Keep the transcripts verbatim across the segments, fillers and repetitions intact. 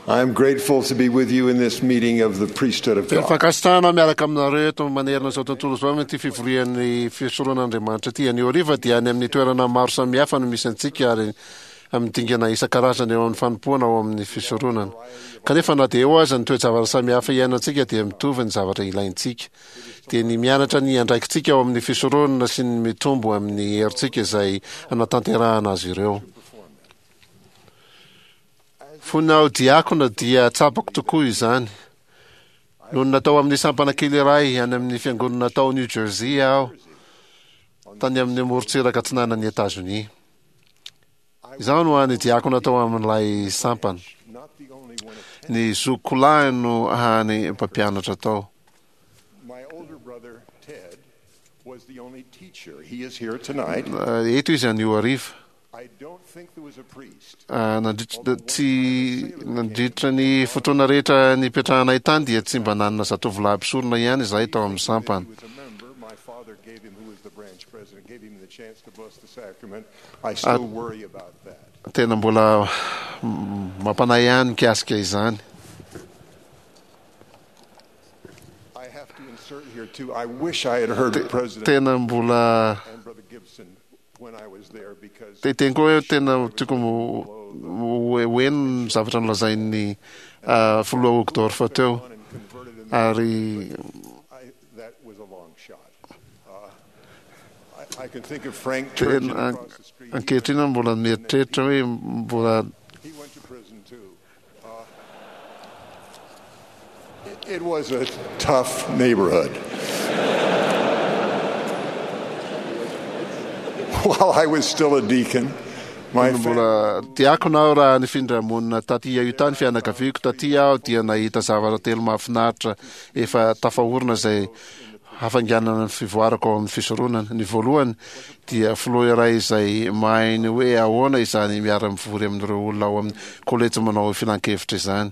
I am grateful to be with you in this meeting of the priesthood of Tena God. fankasitrahana miaraka aminareo eto manerana izao tontolo izao amin'ity fivorian'ny fisoronan'Andriamanitra ity. Anio hariva dia any amin'ny toerana maro samihafa no misy antsika ary amin'ny dingana isan-karazany eo amin'ny fanompoana ao amin'ny fisoronana. Kanefa na dia eo aza ny toe-javatra samihafa iainantsika dia mitovy ny zavatra ilaintsika. Dia ny mianatra ny andraikitsika ao amin'ny fisoronana sy ny mitombo amin'ny herintsika izay hanatanterahana azy ireo. Fony aho diakona dia tsapako tokoa izany. Nony natao amin'ny sampana kely iray any amin'ny fiangonana tao New Jersey aho, tany amin'ny morontsiraka atsinanan'i Etazonia. Izaho no hany diakona tao amin'ilay sampana. Ny zokiko lahy no hany mpampianatra tao. My older brother, Ted, was the only teacher. He is here tonight. Eto izy anio hariva. I don't think there was a priest. Ah, nandritra tsy nandritra ny fotoana rehetra nipetrahanay tany dia tsy mba nanana zatovolahy mpisorona ihany izahay tao amin'ny sampana. He was a member. My father gave him, who was the branch president, gave him the chance to bless the sacrament. I still worry about that. Tena mbola mm, mampanahy ihany mikasika izany. I have to insert here, too, I wish I had heard President Tena mbola and Brother Gibson when I was there because te teny koa hoe tena tiako mo- ho ho heno ny zavatra nolazain'ny ah, filoha Uchtdorf teo on and converted in ary I, that was a long shot. Uh, I, I can think of Frank Turgeon tena across the street. ankehitriny aho mbola mieritreritra hoe mbola He went to prison too. Uh, it, it was a tough neighborhood. While I was still a deacon, my family mbola diakona aho raha nifindra monina taty Utah ny fianakaviako taty aho dia nahita zavatra telo mahafinaritra efa tafahorina izay hafainganana ny fivoarako ao amin'ny fisoronana. Ny voalohany dia filoha iray izay mahay ny hoe ahoana izany miara-mivory amin'ireo olona ao amin'ny kolejy manao filan-kevitra izany.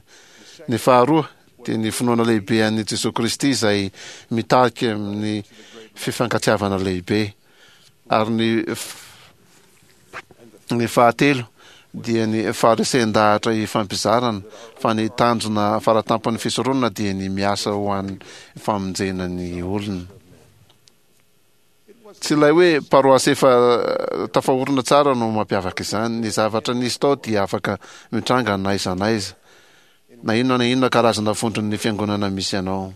Ny faharoa dia ny finoana lehibe an'i Jesoa Kristy izay mitarika amin'ny fifankatiavana lehibe. Ary ny f- ny fahatelo dia ny faharesen-dahatra ifampizarana fa ny tanjona faratampon'ny fisoronana dia ny miasa ho an'ny famonjena ny olona. Tsy ilay hoe paroasy efa eh, tafahorina tsara no mampiavaka izany. Ny zavatra nisy tao dia afaka mitranga na aiza na aiza. Na inona na inona karazana vondron'ny fiangonana misy anao.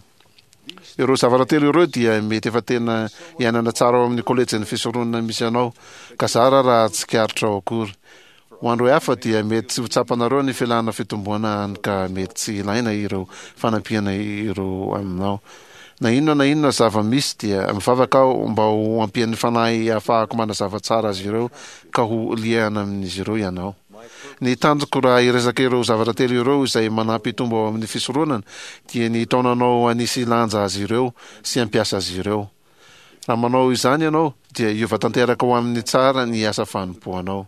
Ireo zavatra telo ireo dia mety efa tena iainana tsara ao amin'ny kolejin'ny fisoronana misy anao, ka zara raha tsikaritra ao akory. Ho andro hafa dia mety tsy ho tsapanareo ny filana fitomboana hany ka mety tsy ilaina ireo fanampiana ireo aminao. Na inona na inona zava-misy dia mivavaka aho mba ho ampian'ny fanahy ahafahako manazava tsara azy ireo ka ho liana amin'izy ireo ianao. Ny tanjoko raha hiresaka ireo zavatra telo ireo izay manampy hitombo ao amin'ny fisoronana dia ny hitaonanao hanisy lanja azy ireo sy hampiasa azy ireo. Raha manao izany ianao dia hiova tanteraka ho amin'ny tsara ny asa fanompoanao.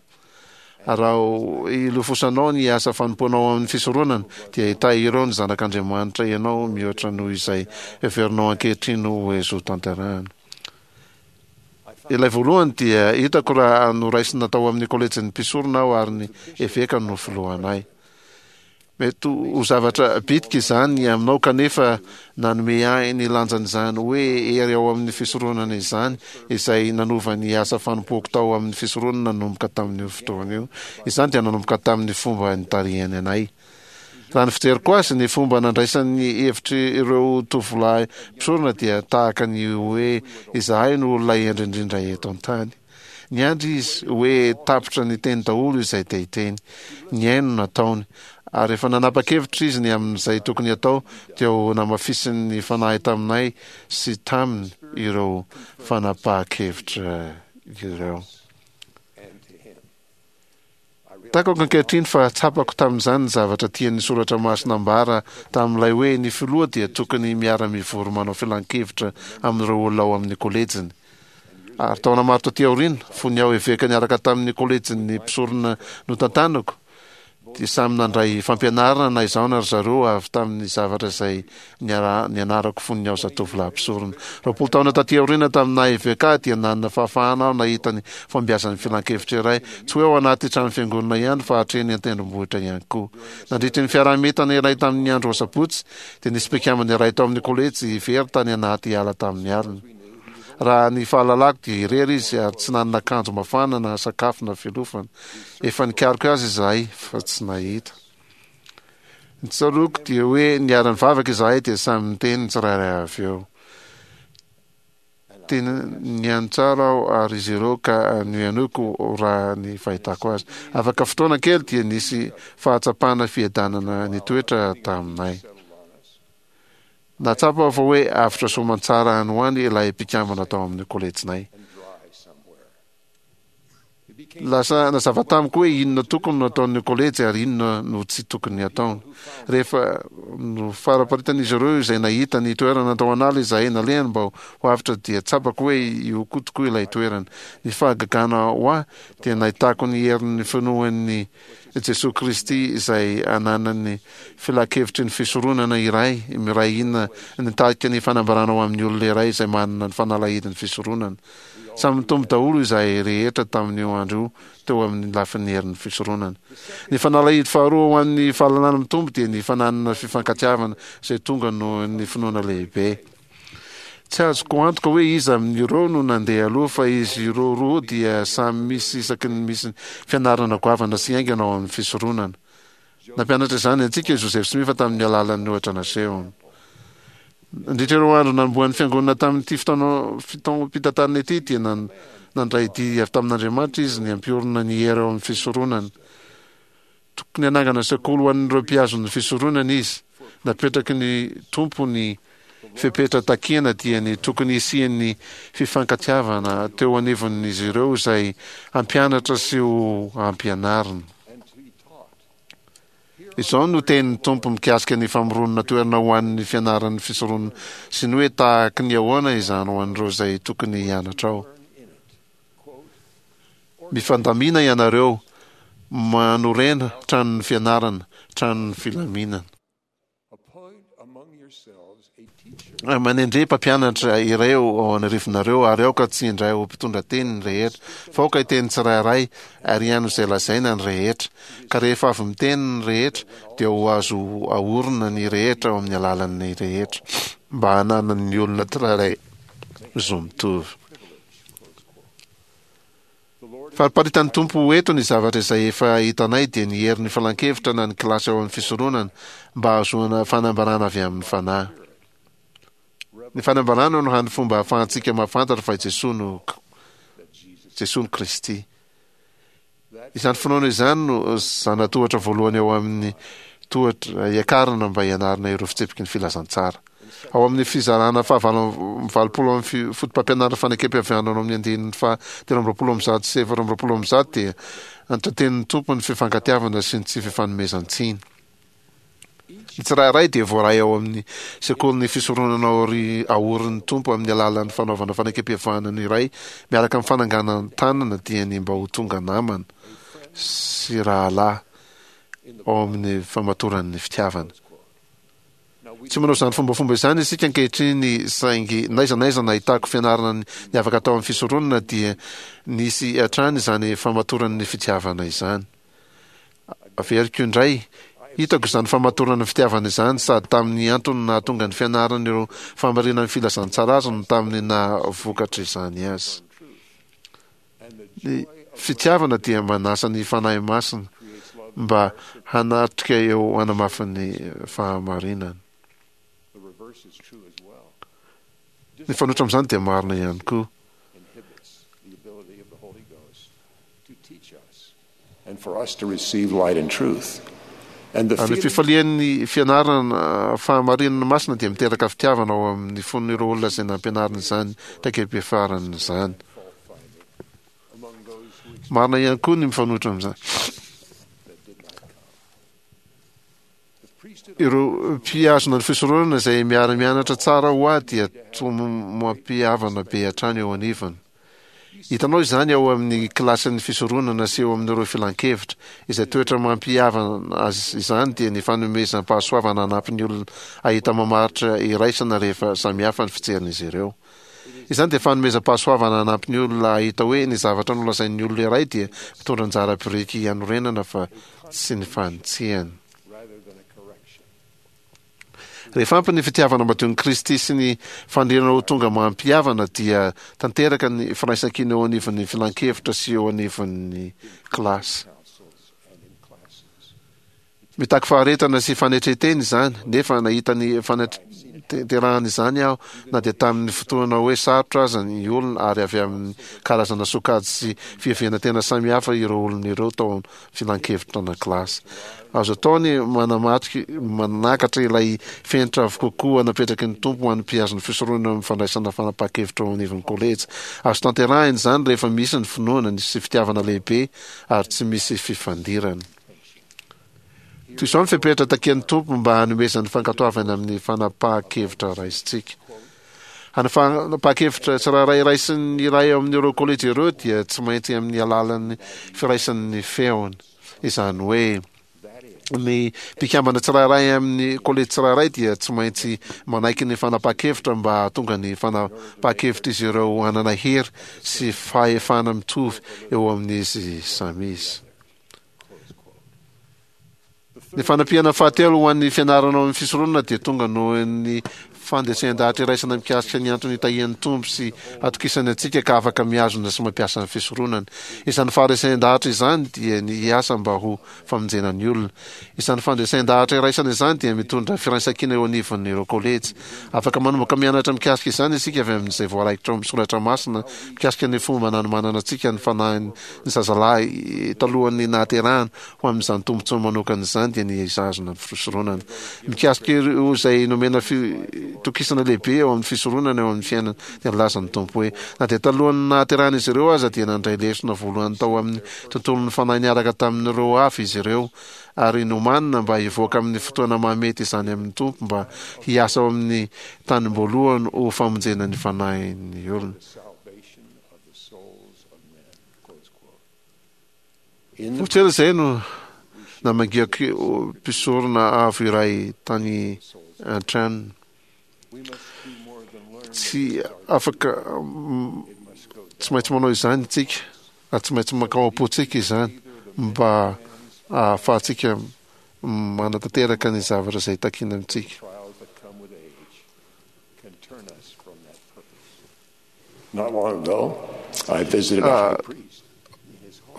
Raha ilofosanao ny asa fanompoanao amin'ny fisoronana dia hitahy ireo ny zanak'Andriamanitra ianao mihoatra noho izay heverinao ankehitriny ho azo tanterahana. Ilay voalohany dia hitako raha noraisina tao amin'ny kolejin'ny mpisorona aho ary ny eveka no filohanay. Mety ho zavatra bitika izany aminao kanefa nanome ahy ny lanjan'izany hoe hery ao amin'ny fisoronana izany izay nanova ny asa fanompoako tao amin'ny fisoronana nanomboka tamin'io fotoana io. Izany dia nanomboka tamin'ny fomba nitarihany anay. Raha ny fijeriko azy, ny fomba nandraisan'ny hevitry ireo tovolahy mpisorona dia tahaka ny hoe izahay no olona hendry indrindra eto an-tany. Niandry izy hoe tapitra ny teny daholo izay te hiteny. Nihaino nataony. Ary efa nanapa-kevitra izy ny amin'izay tokony atao dia ho namafisin'ny fanahy taminay sy taminy ireo fanapahan-kevitra ireo. and to him. Takako ankehitriny fa tsapako tamin'izany ny zavatra tian'ny soratra masina ambara tamin'ilay hoe ny filoha dia tokony miara-mivory manao filan-kevitra amin'ireo olona ao amin'ny kolejiny. Ary taona maro taty aoriana, fony aho eveka niaraka tamin'ny kolejin'ny mpisorona notantanako, Dia samy nandray fampianarana na izaho na ry zareo avy tamin'ny zavatra izay nianarako fony aho zatovolahy mpisorona. Roapolo taona taty aoriana tamin'ny naha eveka dia nanana fahafahana aho nahita ny fahombiazan'ny filankevitra iray, tsy hoe ao anaty trano fiangonana ihany fa hatreny an-tendrombohitra ihany koa. Nandritry ny fiaraha-mientana iray tamin'ny andro asabotsy dia nisy mpikambana iray tao amin'ny kolejy very tany anaty ala tamin'ny alina. Raha ny fahalalako dia irery izy ary tsy nanana akanjo mafana na sakafo na fialofana. Efa nikaroka azy izahay fa tsy nahita. Ny tsaroako dia hoe niara-nivavaka izahay dia samy niteny ny tsirairay avy eo. Tena nihaino tsara aho ary izy ireo ka nohenoiko raha ny fahitako azy. Afaka fotoana kely dia nisy fahatsapana fiadanana nitoetra taminay. Nahatsapa aho fa hoe avotra soamantsara any ho any ilay mpikambana tao amin'ny kolejinay. Lasa nazava tamiko hoe inona tokony no ataon'ny kolejy ary inona no tsy tokony hataony. Rehefa nofaraparitan'izy ireo izay nahita ny toerana tao an'ala izahay nalehany mba ho avotra dia tsapako hoe io koa tokoa ilay toerana. Ny fahagagana ho ahy dia nahitako ny herin'ny finoan'i Jesoa Kristy izay ananan'ny filankevitry ny fisoronana iray miray hina nitarika ny fanambarana ho amin'ny olona iray izay manana ny fanalahidin'ny fisoronana. Samy nitombo daholo izahay rehetra tamin'io andro io teo amin'ny lafin'ny herin'ny fisoronana. Ny fanalahidy faharoa ho an'ny fahalalana mitombo dia ny fananana fifankatiavana izay tonga noho ny finoana lehibe. Tsy azoko antoka hoe iza amin'ireo no nandeha aloha fa izy ireo roa dia samy misy isaky ny misy fianarana goavana sy haingana ao amin'ny fisoronana. Nampianatra izany antsika i Joseph Smith tamin'ny alalan'ny ohatra nasehony. Nandritra ireo andro nanombohan'ny fiangonana tamin'ity fotoana fitaom-pitantanana ity dia nandray didy avy tamin'Andriamanitra izy ny hampiorina ny hery ao amin'ny fisoronana. Tokony hanangana sekoly ho an'ireo mpihazon'ny fisoronana izy. Napetraky ny Tompo ny fepetra takiana dia ny tokony hisian'ny fifankatiavana teo anivon'izy ireo izay hampianatra sy ho ampianarina. Izao no tenin'ny Tompo mikasika ny famoronana toerana ho an'ny fianaran'ny fisoronana sy ny hoe tahaky ny ahoana izany ho an'ireo izay tokony hianatra ao. Mifandamina ianareo, manorena tranon'ny fianarana, tranon'ny filaminana. Manendre mpampianatra iray ao an'arivonareo, ary aoka tsy indray ho mpitondra teny ny rehetra, fa aoka hiteny tsirairay ary hihaino izay lazaina ny rehetra. Ka rehefa avy miteny ny rehetra, dia ho azo aorina ny rehetra ao amin'ny alalan'ny rehetra, mba hananan'ny olona tsirairay zo mitovy. Fariparitan'ny Tompo eto ny zavatra izay efa hitanay dia ny herin'ny filankevitra na ny kilasy ao amin'ny fisoronana mba hahazoana fanambarana avy amin'ny Fanahy. Ny fanambarana no hany fomba ahafahantsika mahafantatra fa i Jesoa no Jesoa no Kristy. Izany finoana izany no zana-tohatra voalohany ao amin'ny tohatra hiakarana mba hianarana ireo fitsipiky ny filazantsara. Ao amin'ny fizarana fahavalo amby valopolo amin'ny fotopampianarana fanekem-pihavanana ao amin'ny andininy faha telo amby roapolo amby zato sy efatra amby roapolo amby zato dia antratenin'ny Tompo ny fifankatiavana sy ny tsy fifanomezan-tsiny. Ny tsirairay dia voaray ao amin'ny sekolin'ny fisoronana aorin'ny Tompo amin'ny alalan'ny fanaovana fanekem-pihavanana iray miaraka amin'ny fananganan-tanana dia ny mba ho tonga namana sy rahalahy ao amin'ny famatoran'ny fitiavana. Tsy manao izany fombafomba izany isika ankehitriny saingy n'aiza n'aiza nahitako fianarana niavaka tao amin'ny fisoronana dia nisy hatrany izany famatoran'ny fitiavana izany. Averiko indray, hitako izany famatorana ny fitiavana izany sady tamin'ny antony nahatonga ny fianarana ireo fahamarinan'ny filazantsara azy no tamin'ny naha vokatra izany azy. Ny fitiavana dia manasa ny Fanahy Masina mba hanatrika eo hanamafy ny fahamarinana. Ny fanoitra amin'izany dia marina ihany koa. Ny fifalian'ny fianarana fahamarinana masina dia miteraka fitiavana ao amin'ny fon'ireo olona izay nampianarina izany traikeim-piafarana izany. Marina ihany koa ny mifanohitra amin'izany. Ireo mpihazona ny fisoronana izay miara-mianatra tsara ho ahy dia toa mampihavana be hatrany eo anivony. Hitanao izany ao amin'ny kilasin'ny fisoronana sy eo amin'ireo filankevitra. Izay toetra mampihavana azy izany dia ny fanomezam-pahasoavana hanampy ny olona hahita mamaritra iraisana rehefa samihafa ny fijerin'izy ireo. Izany dia fanomezam-pahasoavana hanampy ny olona hahita hoe ny zavatra nolazain'ny olona iray dia mitondra anjara biriky hanorenana fa tsy ny fanitsiana. Rehefa ampy ny fitiavana madion'i Kristy sy ny faniriana ho tonga mampihavana dia tanteraka ny firaisankina eo anivon'ny filankevitra sy eo anivon'ny kilasy. Mitaky faharetana sy fanetren-tena izany, nefa nahita ny fanatanterahana izany aho na dia tamin'ny fotoana hoe sarotra aza ny olona ary avy amin'ny karazana sokajy sy fiheverana tena samihafa ireo olona ireo tao amin'ny filankevitra na kilasy. Azo atao ny manamaty manakatra ilay fenitra avo kokoa napetraky ny Tompo ho an'ny mpihazo ny fisoronana amin'ny fandraisana fanapahan-kevitra ao anivon'ny kolejy. Azo tanterahina izany rehefa misy ny finoana ny sy fitiavana lehibe ary tsy misy fifandirana. Toy izao ny fepetra takian'ny Tompo mba hanomezany fankatoavana amin'ny fanapahan-kevitra raisintsika. Ny fanapahan-kevitra tsirairay raisin'ny iray ao amin'ireo kolejy ireo dia tsy maintsy amin'ny alalan'ny firaisan'ny feony. Izany hoe ny mpikambana tsirairay amin'ny kolejy tsirairay dia tsy maintsy manaiky ny fanapahan-kevitra mba hahatonga ny fanapahan-kevitr'izy ireo hanana hery sy fahefana mitovy eo amin'izy samy izy. Ny fanampiana fahatelo ho an'ny fianarana ao amin'ny fisoronana dia tonga noho ny fandresen-dahatra iraisana mikasika ny antony itahian'ny Tompo sy atokisany antsika ka afaka mihazona sy mampiasa ny fisoronana. Izany faharesen-dahatra izany dia ny hiasa mba ho famonjena ny olona. Izany fandresen-dahatra iraisana izany dia mitondra firaisankina eo anivon'ireo kolejy. Afaka manomboka mianatra mikasika izany isika avy amin'izay voaraikitra ao amin'ny soratra masina mikasika ny fomba nanomanana antsika ny fanahin'ny zazalahy talohan'ny nahaterahana ho amin'izany tombontsoa manokana izany dia ny hizahazona ny fisoronana. Mikasika ireo izay nomena fitokisana lehibe eo amin'ny fisoronana eo amin'ny fiainana dia nilaza ny Tompo hoe na dia talohan'ny nahaterahan'izy ireo aza dia nandray lesona voalohany tao amin'ny tontolon'ny fanahy niaraka tamin'ireo hafa izy ireo ary nomanina mba hivoaka amin'ny fotoana mahamety izany amin'ny Tompo mba hiasa ao amin'ny tanim-boalohany ho famonjena ny fanahin'ny olona. Vao tsy ela izay no namangiako mpisorona avo iray tany an-tranony. Tsy afaka tsy maintsy manao izany isika ary tsy maintsy mankao am-pontsika izany mba hahafahantsika manatanteraka ny zavatra izay takiana amintsika.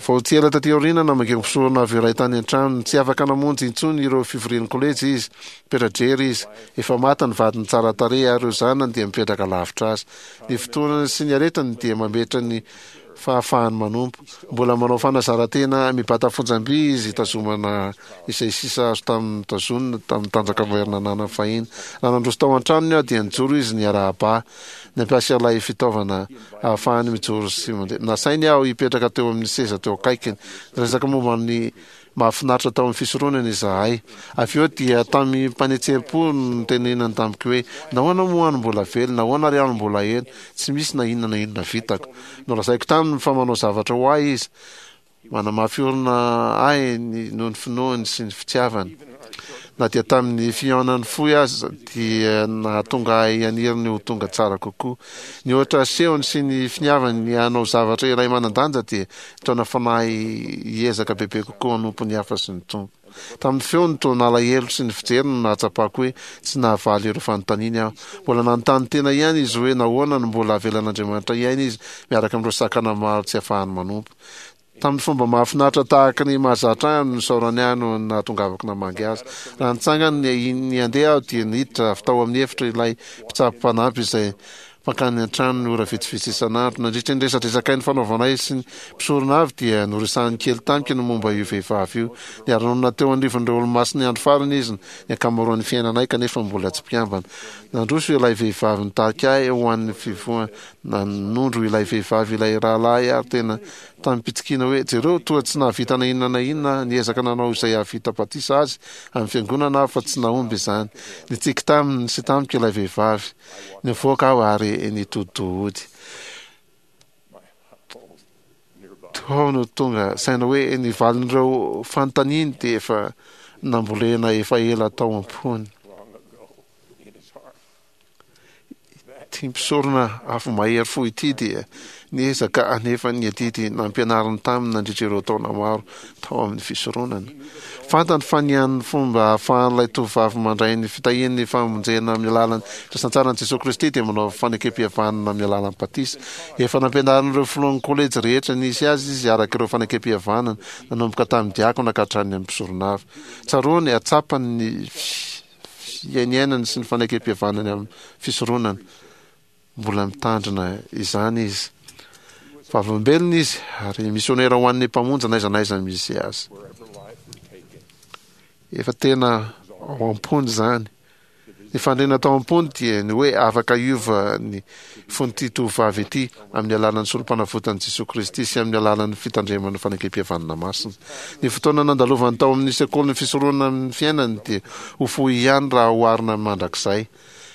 Vao tsy ela taty aoriana, namaky mpisorona avy iray tany an-tranony. Tsy afaka namonjy intsony ireo fivorian'ny kolejy izy. Mipetra-drery izy. Efa maty ny vadiny tsara tarehy ary ireo zanany dia mipetraka lavitra azy. Ny fotoanany sy ny aretiny dia mametra ny fahafahany manompo. Mbola manao fanazaran-tena mibata fonjam-by izy hitazomana izay sisa azo tamin'ny notazonina tamin'ny tanjaka mahery nananany fahiny. Raha nandroso tao an-tranony aho dia nijoro izy niarahaba ahy. Nampiasa ilay fitaovana ahafahany mijoro sy mandeha. Nasainy aho hipetraka teo amin'ny seza teo akaikiny. Niresaka momba ny mahafinaritra tao amin'ny fisoronana izahay. Avy eo dia tamim-panetseham-po no nitenenany tamiko hoe, Nahoana moa aho no mbola velona? Nahoana ary aho no mbola ela? Tsy misy na inona na inona vitako. Nolazaiko taminy fa manao zavatra ho ahy izy. Manamafy orina ahy ny noho ny finoany sy ny fitiavany. Na dia tamin'ny fihaonany fohy aza dia nahatonga ahy haniry ny ho tonga tsara kokoa. Ny ohatra asehony sy ny finiavany ny hanao zavatra iray manan-danja dia nitaona fanahy hiezaka bebe kokoa hanompo ny hafa sy ny Tompo. Tamin'ny feony toa nalahelo sy ny fijeriny no nahatsapako hoe tsy nahavaly ireo fanontaniany aho. Mbola nanontany tena ihany izy hoe nahoana no mbola avelan'Andriamanitra hiaina izy miaraka amin'ireo sakana maro tsy afahany manompo. Tamin'ny fomba mahafinaritra tahaka ny mahazatra ahy no nisaorany ahy noho ny nahatongavako namangy azy. Raha nitsangana ny handeha aho dia niditra avy tao amin'ny efitra ilay mpitsabo mpanampy izay mpankany an-tranony ora vitsivitsy isan'andro. Nandritra ny resadresakay nifanaovanay sy ny mpisorona avy dia noresahiny kely tamiko ny momba io vehivavy io. Niara-nonina teo anivon'ireo Olomasin'ny Andro Farany izy ny ankamaroan'ny fiainanay kanefa mbola tsy mpikambana. Nandroso ilay vehivavy nitarika ahy ho an'ny fivoahana. Nanondro ilay vehivavy ilay rahalahy ary tena tamim-pitsikiana hoe, Jereo, toa tsy nahavita na inona na inona aho. Niezaka nanao izay hahavita batisa azy amin'ny fiangonana aho fa tsy nahomby izany. Nitsiky taminy sy tamiko ilay vehivavy. Nivoaka aho ary nitodi-doha hody. Tao no tonga saina hoe ny valin'ireo fanontaniany dia efa nambolena efa ela tao am-pony. Ity mpisorona avo mahery fo ity dia niezaka hanefa ny adidy nampianariny taminy nandritra ireo taona maro tao amin'ny fisoronana. Fantany fa ny hany fomba ahafahan'ilay tovovavy mandray ny fitahian'ny famonjena amin'ny alalan'ny filazantsaran'i Jesoa Kristy dia manao fanekempihavanana amin'ny alalan'ny batisa. Efa nampianarin'ireo filohan'ny kolejy rehetra nisy azy izy araka ireo fanekempihavanana, nanomboka tamin'ny diakona ka hatrany amin'ny mpisorona avy. Tsaroany, tsapany ny fiainiainany sy ny fanekempihavanany amin'ny fisoronana. Mbola mitandrina izany izy. Vavolombelona izy ary misionera ho an'ny Mpamonjy n'aiza n'aiza misy azy. Efa tena ao am-pony izany. Ny fandriana tao am-pony dia ny hoe afaka hiova ny fon'ity tovovavy ity amin'ny alalan'ny Sorompanavotan'i Jesoa Kristy sy amin'ny alalan'ny fitandremana fanekempihavanana masina. Ny fotoana nandalovany tao amin'ny sekolin'ny fisoronana amin'ny fiainany dia ho fohy ihany raha oharina amin'ny mandrakizay.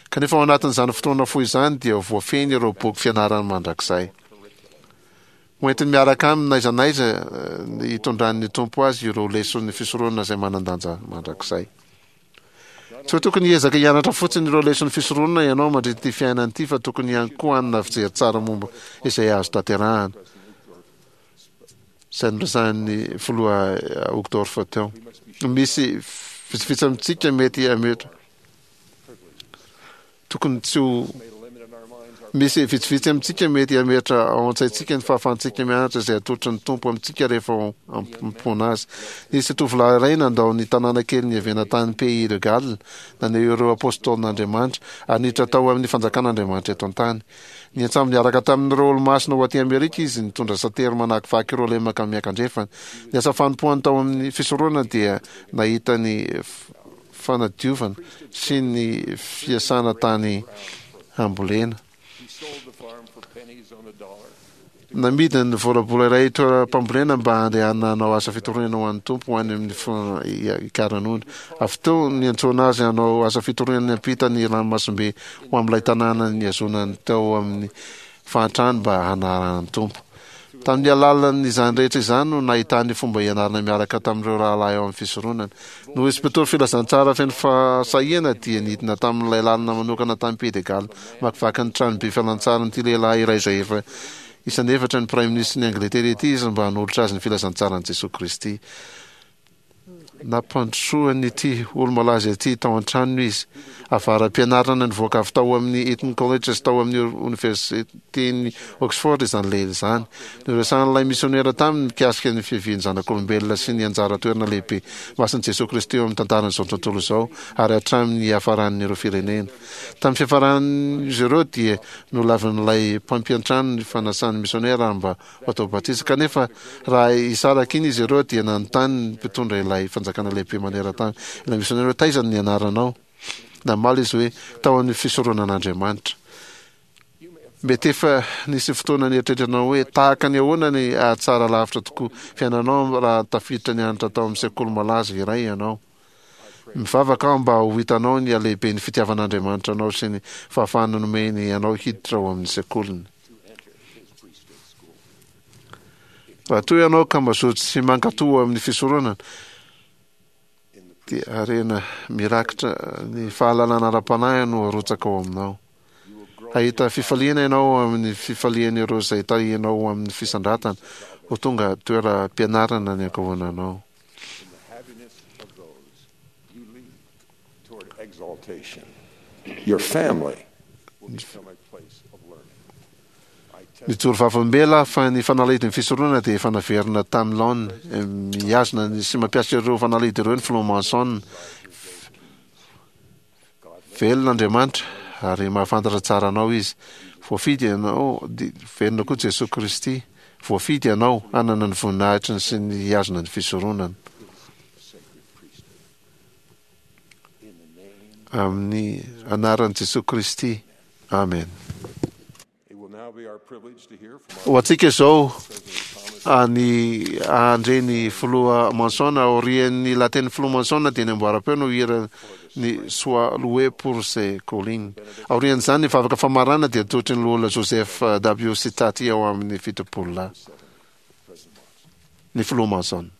Kanefa ao anatin'izany fotoana fohy izany dia voafehiny ireo boky fianarany mandrakizay. Ho entiny miaraka aminy n'aiza n'aiza hitondran'ny Tompo azy ireo leson'ny fisoronana izay manan-danja mandrakizay. Tsy hoe tokony hiezaka hianatra fotsiny ireo leson'ny fisoronana ianao mandritra ity fiainana ity, fa tokony ihany koa hanana fijery tsara momba izay azo tanterahana. Izay noresahin'ny filoha Uchtdorf teo. Misy vitsivitsy amintsika mety hametra Tokony tsy ho Misy vitsivitsy amintsika mety hametra ao an-tsaintsika ny fahafahantsika mianatra izay atolotry ny Tompo amintsika rehefa ao am-pona Azy. Nisy tovolahy iray nandao ny tanàna kely niaviana tany Pays de Galles, naneho ireo apôstôlin'Andriamanitra, ary niditra tao amin'ny fanjakan'Andriamanitra eto an-tany. Niantsambo niaraka tamin'ireo Olomasina ho aty Amerika izy, nitondra satery manakivaky ireo lemaka miankandrefana. Ny asa fanompoany tao amin'ny fisoronana dia nahita ny fanadiovana sy ny fiasana tany hambolena. Namidiny ny volabola iray toeram-pambolena mba handehanana hanao asa fitoriana ho an'ny Tompo ho any amin'ny Ikaranondro. Avy teo niantsoana azy hanao asa fitoriana niampita ny ranomasimbe ho amin'ilay tanàna nihazonany tao amin'ny fahantrany mba hanarahana ny Tompo. Tamin'ny alalan'izany rehetra izany no nahitany fomba hianarana miaraka tamin'ireo rahalahy ao amin'ny fisoronana. Noho izy mpitory filazantsara feno fahasahiana dia nidina tamin'ilay lalana manokana tany Pays de Galles namakivaky ny tranobe fialantsarin'ity lehilahy iray izay efa isan'ny efatra ny Praiminisitry ny Angletera ity izy mba hanolotra azy ny filazantsaran'i Jesoa Kristy. Nampandrosoan'ity olo-malaza ity tao an-tranony izy. Avara-pianarana nivoaka avy tao amin'ny Eton College sy tao amin'ny Oniversiten'i Oxford izany lehilahy izany. Noresahan'ilay misionera taminy mikasika ny fiavian'ny zanak'olombelona sy ny anjara toerana lehibe masin'i Jesoa Kristy eo amin'ny tantaran'izao tontolo izao ary hatramin'ny hiafaran'ireo firenena. Tamin'ny fiafaran'izy ireo dia nolavin'ilay mpampiantrano ny fanasan'ny misionera mba ho atao batisa. Kanefa, raha hisaraka iny izy ireo, dia nanontany ny mpitondra ilay fanjakana lehibe maneran-tany ilay misionera hoe, Taiza no nianaranao? Namaly izy hoe, Tao amin'ny fisoronan'Andriamanitra. Mety efa nisy fotoana nieritreretanao hoe, 'Tahaka ny ahoana ny hahatsara lavitra tokoa fiainanao raha tafiditra nianatra tao amin'ny sekoly malaza iray ianao? Mivavaka aho mba ho hitanao ny halehiben'ny fitiavan'Andriamanitra anao sy ny fahafahana nomeny anao hiditra ao amin'ny sekoliny. Raha toa ianao ka mazoto sy mankatò amin'ny fisoronana, dia harena mirakitra ny fahalalana ara-panahy no arotsaka ao aminao. Hahita fifaliana ianao amin'ny fifalian'ireo izay tahianao ho amin'ny fisandratana, ho tonga toeram-pianarana ny ankohonanao. Nijoro vavolombelona aho fa ny fanalahidin'ny fisoronana dia efa naverina tamin'ny laoniny. Mihazona ny sy mampiasa ireo fanalahidy ireo ny Filoha Monson. Velona Andriamanitra ary mahafantatra tsara anao Izy. Voafidy ianao, velona koa Jesoa Kristy. Voafidy ianao hanana ny voninahitry ny sy ny hihazona ny fisoronana. Amin'ny anaran'i Jesoa Kristy. Amen. Ho antsika izao ny handre ny Filoha Monson. Aorian'ny lahatenin'ny Filoha Monson dia ny amboaram-peo no hira ny Sois loué pour ses collines. Aorian'izany ny vavaka famarana dia atolotry ny Loholona Joseph W. Sitati ao amin'ny Fitopololahy. Ny Filoha Monson.